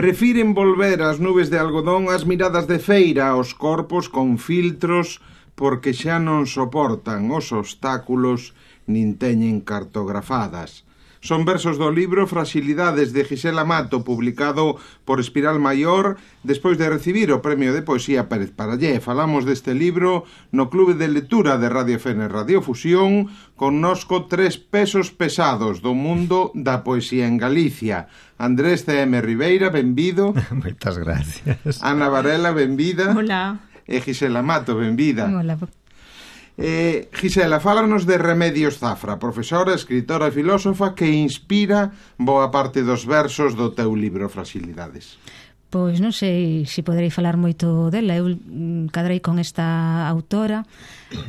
Prefiren volver ás nubes de algodón ás miradas de feira, aos corpos con filtros, porque xa non soportan os obstáculos nin teñen cartografadas. Son versos do libro Fragilidades de Gisela Mato, publicado por Espiral Maior, despois de recibir o Premio de Poesía Pérez Parallé. Falamos deste libro no Clube de Lectura de Radio Fene Radiofusión, connosco 3 pesos pesados do mundo da poesía en Galicia. Andrés C.M. Ribeira, benvido. Moitas gracias. Ana Varela, benvida. Hola. E Gisela Mato, benvida. Hola. Gisela, fálanos de Remedios Zafra, profesora, escritora e filósofa que inspira boa parte dos versos do teu libro Fragilidades. Pois non sei se poderei falar moito dela. Eu cadrei con esta autora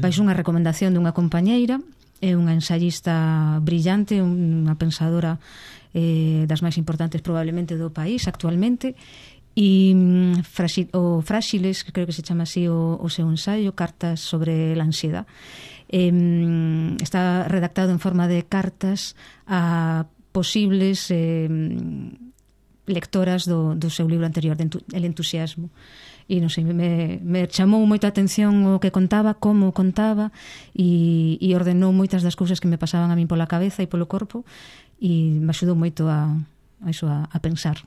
baixo unha recomendación dunha compañeira. É unha ensayista brillante, unha pensadora das máis importantes probablemente do país actualmente. E o Frágiles, que creo que se chama así o seu ensaio, Cartas sobre la ansiedad, está redactado en forma de cartas a posibles lectoras do seu libro anterior, El entusiasmo. E non sei, me chamou moita atención o que contaba, como contaba, e ordenou moitas das cousas que me pasaban a min pola cabeza e polo corpo, e me axudou moito a pensar.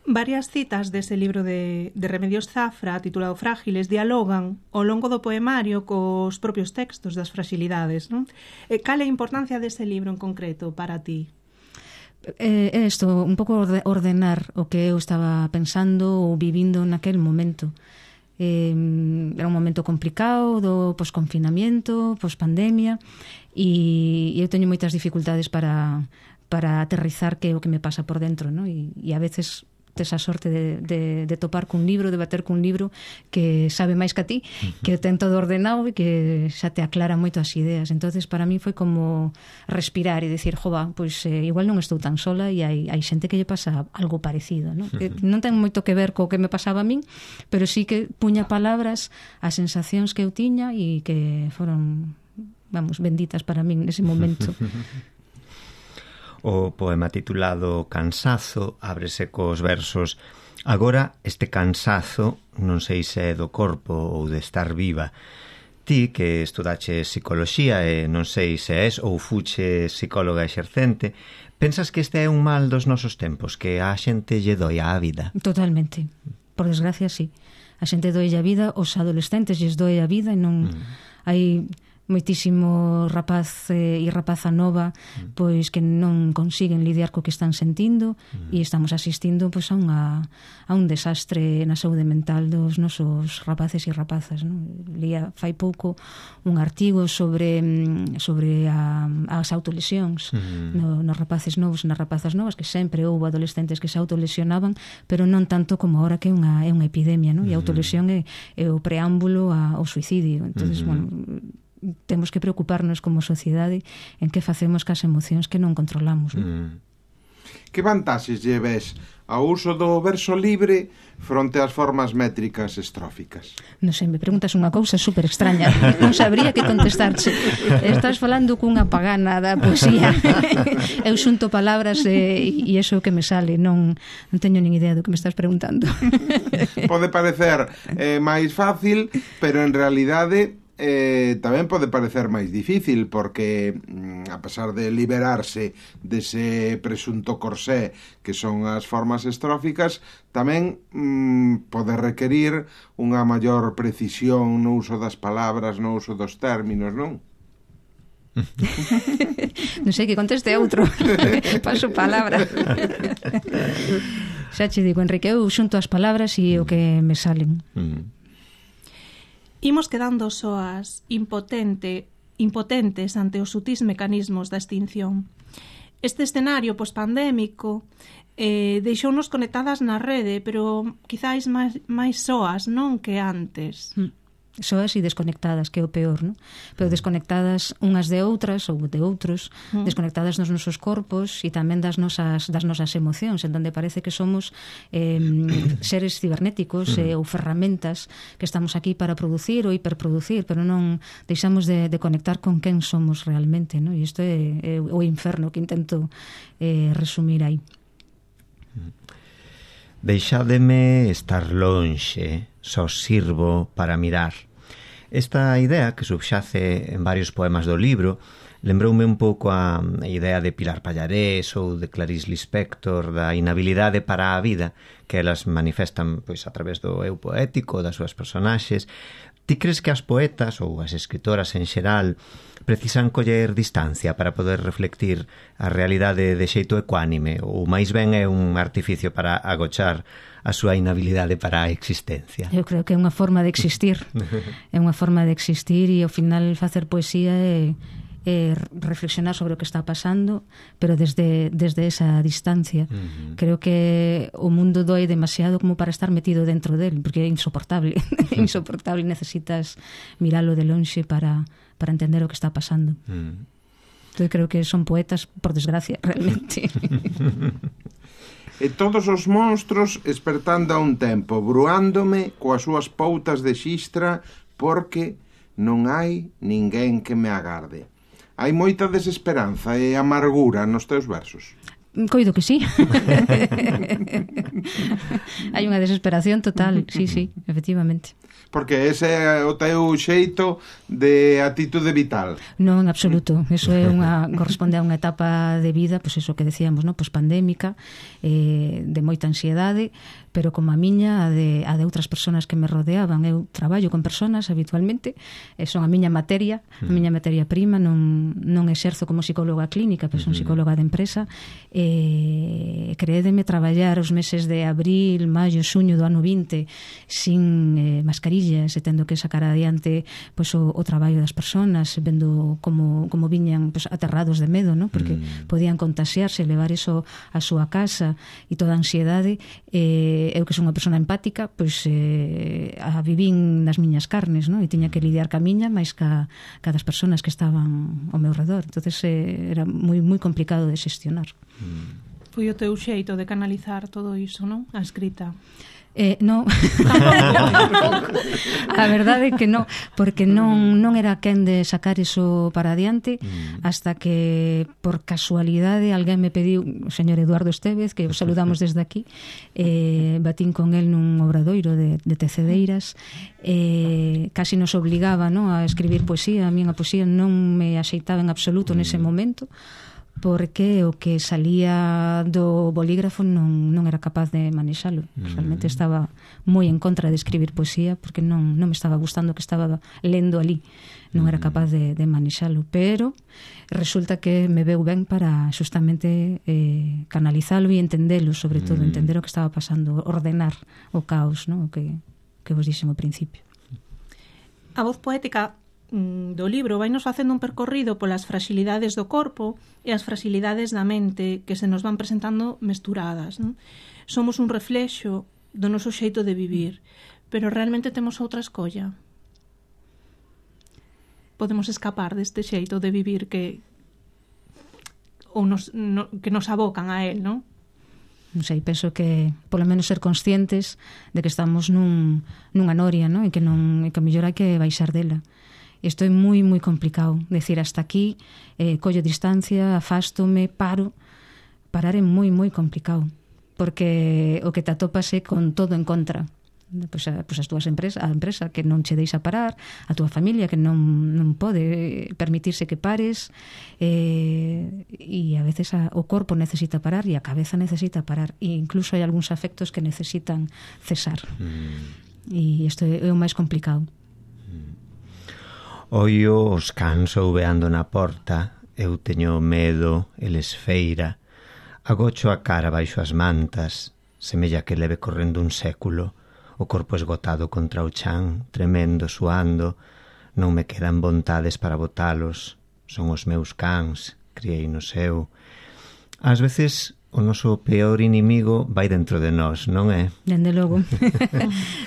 Varias citas dese libro de Remedios Zafra, titulado Frágiles, dialogan ao longo do poemario cos propios textos das fragilidades, non? Cal é a importancia dese libro en concreto para ti? É isto, un pouco ordenar o que eu estaba pensando ou vivindo naquel momento. Era un momento complicado do posconfinamiento, pospandemia, e eu teño moitas dificultades para aterrizar que é o que me pasa por dentro, non? E a veces tes a sorte de topar cun libro, de bater cun libro que sabe máis que a ti, que ten todo ordenado e que xa te aclara moito as ideas. Entonces para mí foi como respirar e decir, jova, pois igual non estou tan sola e hai xente que lle pasa algo parecido, non? Que non ten moito que ver co que me pasaba a min, pero sí que puña palabras as sensacións que eu tiña e que foron, vamos, benditas para min nese momento. O poema titulado Cansazo ábrese cos versos: agora este cansazo non sei se é do corpo ou de estar viva. Ti que estudache psicoloxía e non sei se és ou fuche psicóloga exercente, pensas que este é un mal dos nosos tempos, que a xente lle doi a vida? Totalmente, por desgracia sí. A xente doi a vida, os adolescentes lles doi a vida e non hai moitísimo rapaz e rapaza nova pois que non consiguen lidiar co que están sentindo e estamos asistindo pois a un desastre na saúde mental dos nosos rapaces e rapazas, non? Lía fai pouco un artigo sobre as autolesións nos rapaces novos e nas rapazas novas, que sempre houve adolescentes que se autolesionaban, pero non tanto como ahora que é unha epidemia, non? E a autolesión é o preámbulo ao suicidio. Entonces, bueno, temos que preocuparnos como sociedade en que facemos cas emocións que non controlamos, non? Que vantaxes lle ves ao uso do verso libre fronte ás formas métricas estróficas? Non sei, me preguntas unha cousa super extraña, non sabría que contestarche. Estás falando cunha pagana da poesía. Eu xunto palabras e iso que me sale, non teño nin idea do que me estás preguntando. Pode parecer máis fácil, pero en realidade tamén pode parecer máis difícil, porque a pesar de liberarse dese presunto corsé que son as formas estróficas, tamén pode requerir unha maior precisión no uso das palabras, no uso dos términos, non? Non sei, que conteste outro. Paso palabra. Xa che digo, Enrique, eu xunto as palabras e o que me salen. Imos quedando soas, impotentes ante os sutís mecanismos da extinción. Este escenario pospandémico deixounos conectadas na rede, pero quizáis máis soas, non que antes. Soas e desconectadas, que é o peor, non? Pero desconectadas unhas de outras ou de outros, desconectadas nos nosos corpos e tamén das nosas emocións, en donde parece que somos seres cibernéticos ou ferramentas que estamos aquí para producir ou hiperproducir, pero non deixamos de conectar con quen somos realmente, non? E isto é o inferno que intento resumir aí. Deixádeme estar lonxe, só sirvo para mirar. Esta idea, que subxace en varios poemas do libro, lembroume un pouco a idea de Pilar Pallarés ou de Clarice Lispector, da inhabilidade para a vida, que elas manifestan pois a través do eu poético, das súas personaxes. Ti crees que as poetas ou as escritoras en xeral precisan coller distancia para poder reflectir a realidade de xeito ecuánime, ou máis ben é un artificio para agochar a súa inhabilidade para a existencia? Eu creo que é unha forma de existir. É unha forma de existir e ao final facer poesía é reflexionar sobre o que está pasando, pero desde esa distancia. Creo que o mundo doe demasiado como para estar metido dentro del, porque é insoportable. É insoportable, necesitas miralo de lonxe para entender o que está pasando. Entón creo que son poetas, por desgracia, realmente. E todos os monstros espertando a un tempo, bruándome coas súas poutas de xistra, porque non hai ninguén que me agarde. Hai moita desesperanza e amargura nos teus versos. Coido que sí. Hai unha desesperación total, sí, efectivamente. Porque ese é o teu xeito de atitude vital. Non, en absoluto. Eso é corresponde a unha etapa de vida, pois eso que decíamos, ¿no? Pois pandémica, de moita ansiedade, pero como a miña, a de outras persoas que me rodeaban. Eu traballo con persoas habitualmente, son a miña materia, prima, non exerzo como psicóloga clínica, pero son psicóloga de empresa. Creédeme traballar os meses de abril, maio, xuño do ano 20 sin mascarillas, e tendo que sacar adiante pois, o traballo das persoas, vendo como viñan pois, aterrados de medo, ¿no? Porque podían contaxiarse, levar eso a súa casa e toda a ansiedade. Eu que son unha persona empática, pois a vivín nas miñas carnes, ¿no? E tiña que lidiar ca miña máis ca das persoas que estaban ao meu redor. Entonces era moi complicado de xestionar. Foi o teu xeito de canalizar todo iso, non? A escrita. Non. A verdade é que non, porque non era quen de sacar iso para adiante hasta que por casualidade alguén me pediu, o señor Eduardo Estévez, que o saludamos desde aquí, batín con el nun obradoiro de Tecedeiras, casi nos obligaba, ¿no?, a escribir poesía. A min a poesía non me axeitaba en absoluto nese momento, porque o que salía do bolígrafo non era capaz de manexalo. Realmente estaba moi en contra de escribir poesía, porque non me estaba gustando o que estaba lendo ali. Non era capaz de manexalo, pero resulta que me veu ben para justamente canalizalo e entendelo, sobre todo, entender o que estaba pasando, ordenar o caos, ¿no?, o que vos dixen ao principio. A voz poética do libro vainos facendo un percorrido polas fragilidades do corpo e as fragilidades da mente que se nos van presentando mesturadas, non? Somos un reflexo do noso xeito de vivir, pero realmente temos outra escolla. Podemos escapar deste xeito de vivir que nos abocan a él, non? Non sei, penso que polo menos ser conscientes de que estamos nunha noria, non? E que a mellor hai que baixar dela. Isto é moi complicado, decir hasta aquí, collo distancia, afástome, paro. Parar é moi complicado, porque o que te atopas é con todo en contra. Pois as túas empresas, a empresa que non che deixa parar, a túa familia que non pode permitirse que pares, e a veces o corpo necesita parar e a cabeza necesita parar, e incluso hai algúns afectos que necesitan cesar. E isto é o máis complicado. Oio os cans ouveando na porta, eu teño medo, eles feira, agocho a cara baixo as mantas, semella que leve correndo un século, o corpo esgotado contra o chan, tremendo, suando, non me quedan vontades para botalos, son os meus cans, criei no seu. Ás veces o noso peor inimigo vai dentro de nós, non é? Dende logo.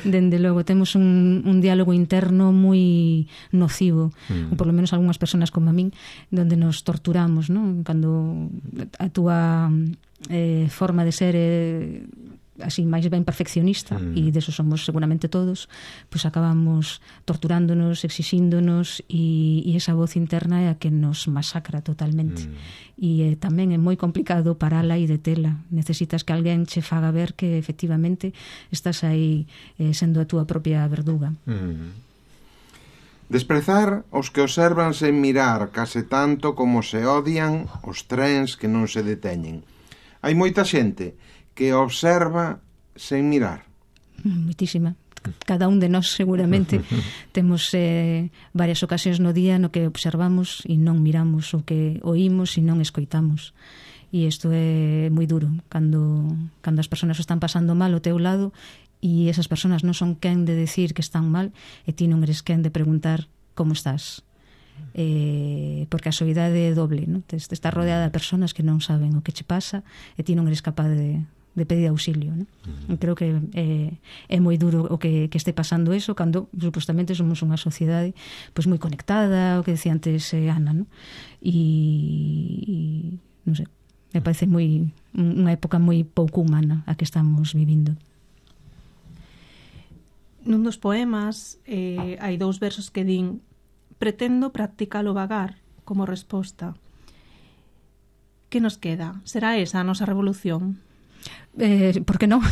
Dende logo. Temos un diálogo interno moi nocivo, ou por lo menos algunhas persoas como a min, donde nos torturamos, non? Cando a túa forma de ser así máis ben perfeccionista, e deso somos seguramente todos, pois acabamos torturándonos, exixíndonos, e esa voz interna é a que nos masacra totalmente. E tamén é moi complicado parala e detela. Necesitas que alguén che faga ver que efectivamente estás aí sendo a túa propia verduga. Desprezar os que observan sen mirar case tanto como se odian os trens que non se deteñen. Hai moita xente que observa sen mirar. Moitísima. Cada un de nós seguramente temos varias ocasións no día no que observamos e non miramos, o que oímos e non escoitamos. E isto é moi duro cando as persoas están pasando mal ao teu lado e esas persoas non son quen de decir que están mal e ti non eres quen de preguntar como estás. Porque a soidade é doble, non? Estás rodeada de persoas que non saben o que che pasa e ti non eres capaz de pedir auxilio, non? Creo que é moi duro o que este pasando eso cando supostamente somos unha sociedade pois moi conectada, o que decía antes Ana, non? E non sei, me parece unha época moi pouco humana a que estamos vivindo. Nun dos poemas hai 2 versos que din: pretendo practicalo vagar como resposta. Que nos queda? Será esa a nosa revolución? Por que non?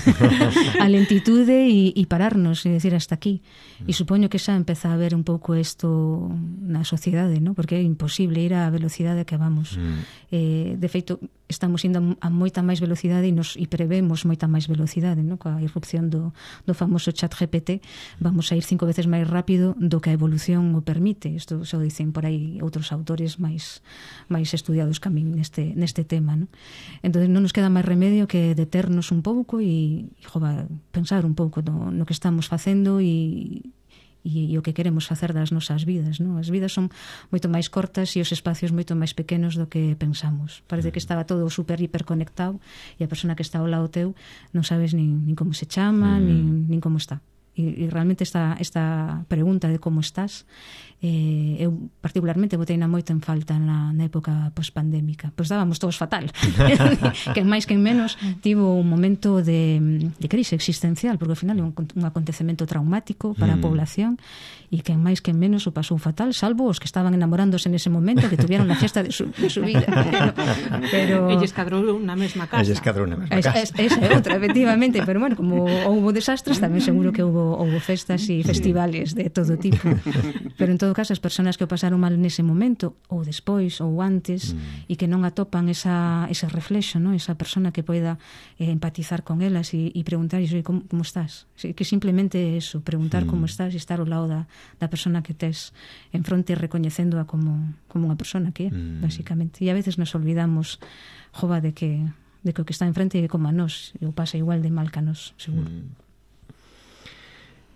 A lentitude e pararnos e decir hasta aquí. E supoño que xa empeza a haber un pouco isto na sociedade, ¿no? Porque é imposible ir á velocidade que vamos. De feito, estamos indo a moita máis velocidade e prevemos moita máis velocidade, ¿no? Coa irrupción do famoso chat GPT vamos a ir 5 veces máis rápido do que a evolución o permite. Isto xa o dicen por aí outros autores máis estudiados que a min neste tema, ¿no? Entón non nos queda máis remedio que deternos un pouco e pensar un pouco no que estamos facendo e o que queremos facer das nosas vidas, non? As vidas son moito máis cortas e os espacios moito máis pequenos do que pensamos. Parece que estaba todo super hiperconectado e a persona que está ao lado teu non sabes nin como se chama, nin como está. E realmente esta pregunta de como estás eu particularmente boteina moito en falta na época pospandémica. Pois dábamos todos fatal. Quen máis quen menos tivo un momento de crise existencial, porque ao final é un acontecemento traumático para a población e quen máis quen menos o pasou fatal, salvo os que estaban enamorándose nese momento, que tuvieron a fiesta de su vida. Pero Elles cadrou na mesma casa. Esa é outra, efectivamente, pero bueno, como houbo desastres, tamén seguro que houbo festas e festivales de todo tipo. Pero en todo caso, as persoas que o pasaron mal nese momento, ou despois, ou antes, e que non atopan ese reflexo, ¿no? Esa persona que poida empatizar con elas e preguntarles, como estás? Que simplemente eso, preguntar como estás e estar ao lado da persona que tes en fronte, recoñecéndoa como unha persona que é, basicamente. E a veces nos olvidamos, de que o que está en frente é como a nós, e o pasa igual de mal que a nós, seguro.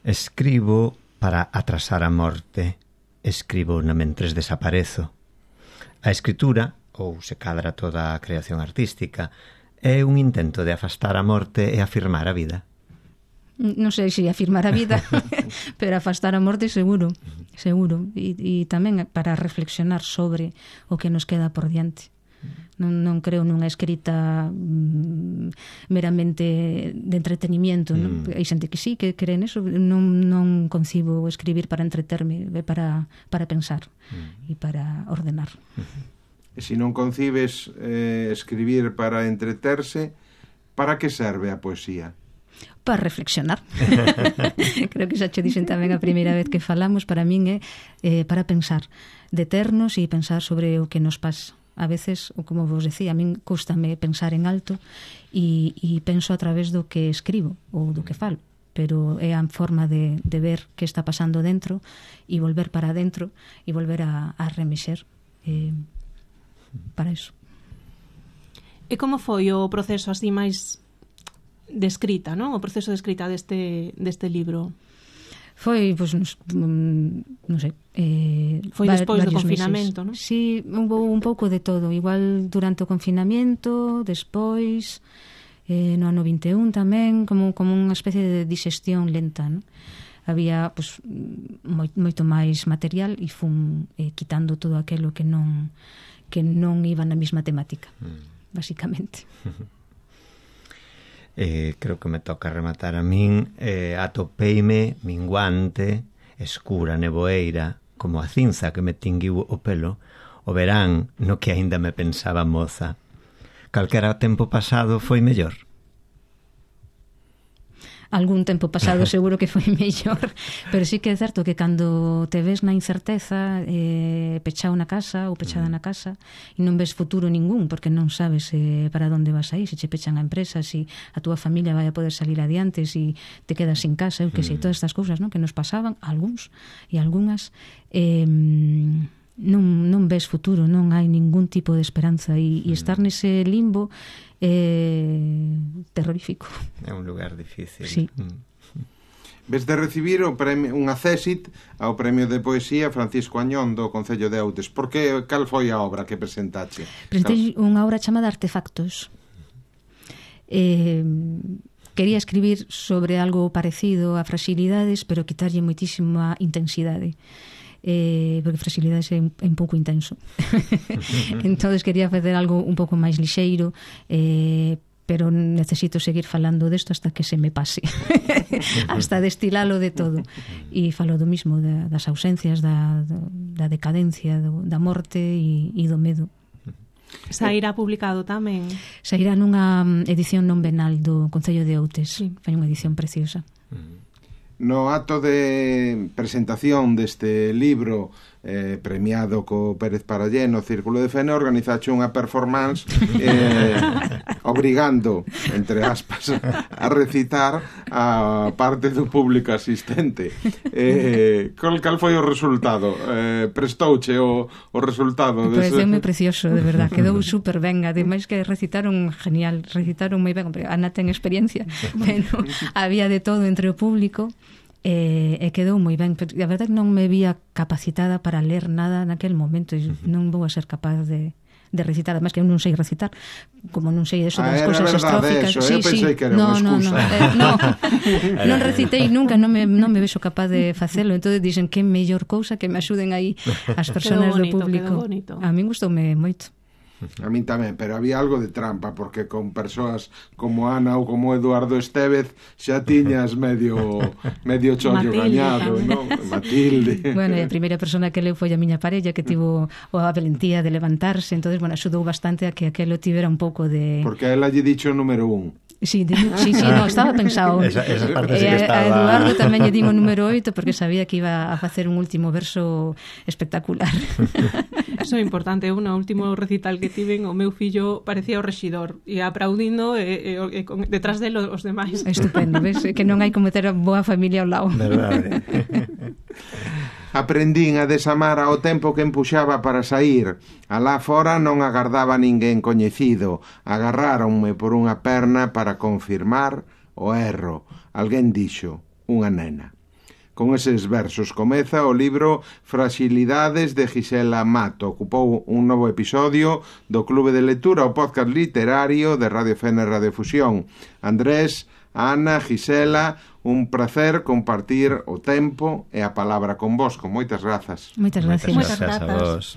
Escribo para atrasar a morte. Escribo na mentres desaparezo. A escritura, ou se cadra toda a creación artística, é un intento de afastar a morte e afirmar a vida. Non sei se afirmar a vida, pero afastar a morte seguro. E tamén para reflexionar sobre o que nos queda por diante. Non creo nunha escrita meramente de entretenimiento, non? Hai xente que sí, que cree neso. Non concibo escribir para entreterme, para pensar e para ordenar. E se non concibes escribir para entreterse, para que serve a poesía? Para reflexionar. Creo que xa che dixen tamén a primeira vez que falamos. Para min é para pensar, deternos e pensar sobre o que nos pasa. A veces, como vos decía, a min cústame pensar en alto e penso a través do que escribo ou do que falo, pero é a forma de ver que está pasando dentro e volver para dentro e volver a remexer para iso. E como foi o proceso así máis de escrita, non? O proceso de escrita deste libro? Foi, pois, non sei, foi despois do confinamento, non? Sí, houve un pouco de todo. Igual durante o confinamento, despois, no ano 21 tamén, como unha especie de digestión lenta, non? Había, pois, moito máis material e fun quitando todo aquilo que non iba na mesma temática, basicamente. Creo que me toca rematar a min. Atopeime minguante, escura nevoeira, como a cinza que me tinguiu o pelo, o verán no que aínda me pensaba moza. Calquera tempo pasado foi mellor. Algún tempo pasado seguro que foi mellor, pero sí que é certo que cando te ves na incerteza, pechado na casa ou pechada na casa, e non ves futuro ningún, porque non sabes para onde vas a ir, se che pechan a empresa, se a túa familia vai a poder salir adiante, se te quedas sin casa, eu que sei, todas estas cousas, non, que nos pasaban a algúns e algunhas, non ves futuro, non hai ningún tipo de esperanza, e estar nese limbo terrorífico. É un lugar difícil. Sí. Ves de recibir o premio, unha césit ao Premio de Poesía Francisco Añón do Concello de Outes. Por que, cal foi a obra que presentache? Presentei unha obra chamada Artefactos. Quería escribir sobre algo parecido a Fragilidades, pero quitarlle moitísima intensidade. Porque Fragilidades é un pouco intenso. Entón quería facer algo un pouco máis lixeiro, pero necesito seguir falando desto hasta que se me pase. Hasta destilalo de todo. E falo do mismo, das ausencias, da decadencia, da morte e do medo. Sairá publicado tamén? Sairá nunha edición non venal do Concello de Outes. Sí. Foi unha edición preciosa. No acto de presentación deste libro premiado co Pérez Parallé no Círculo de Fene, organizache unha performance obrigando, entre aspas, a recitar a parte do público asistente. Cal foi o resultado? Prestouche o resultado? Pareceume precioso, de verdad, quedou super ben, ademais que recitaron genial, recitaron moi ben, Ana ten experiencia, pero había de todo entre o público. E quedou moi ben, pero a verdade non me vía capacitada para ler nada naquel momento, e non vou a ser capaz de recitar, además que eu non sei recitar, como non sei eso das cousas estróficas. Eso, sí, pensei que era unha excusa. Non recitei nunca, non me vexo capaz de facelo, entón dixen que mellor cousa que me axuden aí as persoas do público. A min gustoume moito. A min tamén, pero había algo de trampa, porque con persoas como Ana ou como Eduardo Estévez xa tiñas medio chollo gañado, non? Matilde. Bueno, a primeira persona que leu foi a miña parella, que tivo a valentía de levantarse, entonces, bueno, axudou bastante a que aquelo tivera un pouco de... Porque ela lle dicho o número 1. Sí, no, estaba pensado. Esa parte sí que estaba... A Eduardo tamén lle dimo o número 8 porque sabía que iba a facer un último verso espectacular. Eso é importante. Eu no último recital que tiven, o meu fillo parecía o rexidor e aplaudindo detrás dele os demais. Estupendo, ves? Que non hai como ter a boa familia ao lado. Verdade. Aprendín a desamar ao tempo que empuxaba para sair. Alá fora non agardaba ninguén coñecido. Agarráronme por unha perna para confirmar o erro. Alguén dixo, unha nena. Con eses versos comeza o libro Fragilidades de Gisela Mato. Ocupou un novo episodio do Clube de Lectura, o podcast literario de Radio Fene Radiofusión. Andrés, Ana, Gisela, un placer compartir o tempo e a palabra con vos. Con moitas grazas. Moitas gracias. Moitas grazas a vos.